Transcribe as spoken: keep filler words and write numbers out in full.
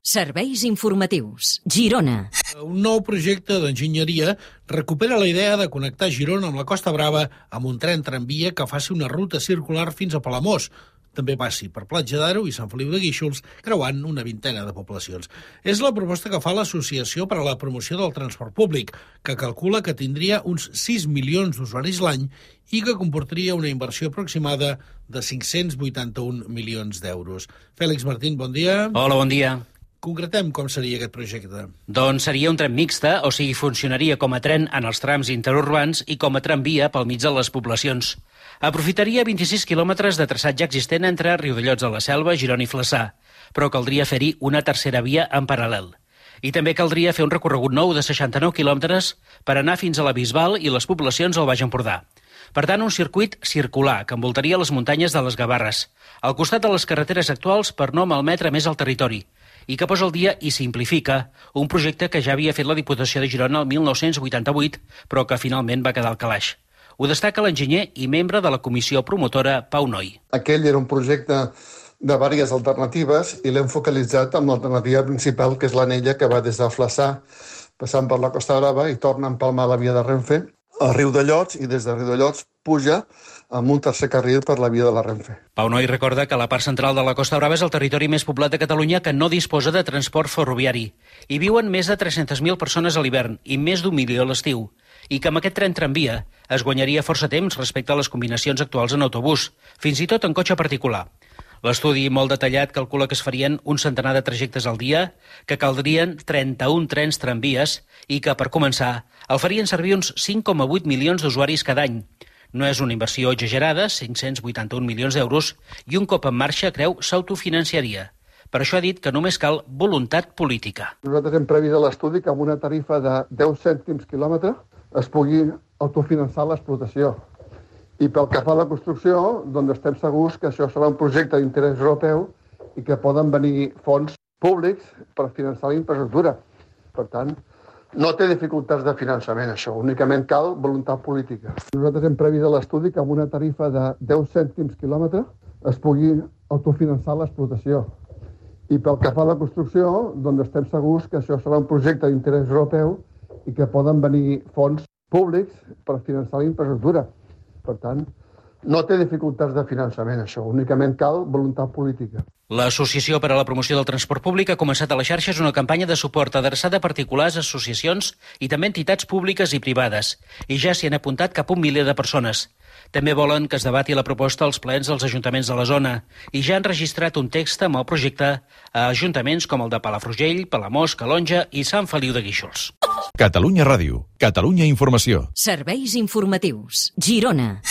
Serveis informatius. Girona. Un nou projecte d'enginyeria recupera la idea de connectar Girona amb la Costa Brava amb un tren tramvia que faci una ruta circular fins a Palamós. També passi per Platja d'Aro i Sant Feliu de Guíxols, creuant una vintena de poblacions. És la proposta que fa l'Associació per a la Promoció del Transport Públic, que calcula que tindria uns sis milions d'usuaris l'any i que comportaria una inversió aproximada de cinc-cents vuitanta-un milions d'euros. Fèlix Martín, bon dia. Hola, bon dia. Concretem com seria aquest projecte. Doncs seria un tren mixta, o sigui, funcionaria com a tren en els trams interurbans i com a tramvia pel mig de les poblacions. Aprofitaria vint-i-sis quilòmetres de traçat ja existent entre Riudellots de la Selva, Girona i Flaçà, però caldria fer-hi una tercera via en paral·lel. I també caldria fer un recorregut nou de seixanta-nou quilòmetres per anar fins a la Bisbal i les poblacions al Baix Empordà. Per tant, un circuit circular que envoltaria les muntanyes de les Gavarres, al costat de les carreteres actuals per no malmetre més el territori, i que posa al dia i simplifica un projecte que ja havia fet la Diputació de Girona el mil nou-cents vuitanta-vuit, però que finalment va quedar al calaix. Ho destaca l'enginyer i membre de la comissió promotora, Pau Noi. Aquell era un projecte de diverses alternatives i l'hem focalitzat amb l'alternativa principal, que és l'anella que va des de Flaçà, passant per la Costa Brava i torna a empalmar la via de Renfe a Riudellots i des de Riudellots puja amb un tercer carril per la via de la Renfe. Pau Noi recorda que la part central de la Costa Brava és el territori més poblat de Catalunya que no disposa de transport ferroviari. Hi viuen més de tres-centes mil persones a l'hivern i més d'un milió a l'estiu, i que amb aquest tren tramvia es guanyaria força temps respecte a les combinacions actuals en autobús, fins i tot en cotxe particular. L'estudi molt detallat calcula que es farien un centenar de trajectes al dia, que caldrien trenta-un trens tramvies i que, per començar, el farien servir uns cinc coma vuit milions d'usuaris cada any. No és una inversió exagerada, cinc-cents vuitanta-un milions d'euros, i un cop en marxa, creu, s'autofinanciaria. Per això ha dit que només cal voluntat política. Nosaltres hem previst a l'estudi que amb una tarifa de deu cèntims quilòmetre es pugui autofinançar l'explotació. I pel que fa a la construcció, doncs estem segurs que això serà un projecte d'interès europeu i que poden venir fons públics per finançar la infraestructura. Per tant, no té dificultats de finançament, això. Únicament cal voluntat política. Nosaltres hem previst a l'estudi que amb una tarifa de deu cèntims quilòmetre es pugui autofinançar l'explotació. I pel que fa a la construcció, doncs estem segurs que això serà un projecte d'interès europeu i que poden venir fons públics per finançar la infraestructura. Per tant, no té dificultats de finançament, això. Únicament cal voluntat política. L'Associació per a la Promoció del Transport Públic ha començat a les xarxes una campanya de suport adreçada a particulars, associacions i també entitats públiques i privades. I ja s'hi han apuntat cap a un miler de persones. També volen que es debati la proposta als plens dels ajuntaments de la zona i ja han registrat un text amb el projecte a ajuntaments com el de Palafrugell, Palamós, Calonja i Sant Feliu de Guíxols. Catalunya Ràdio, Catalunya Informació. Serveis informatius. Girona.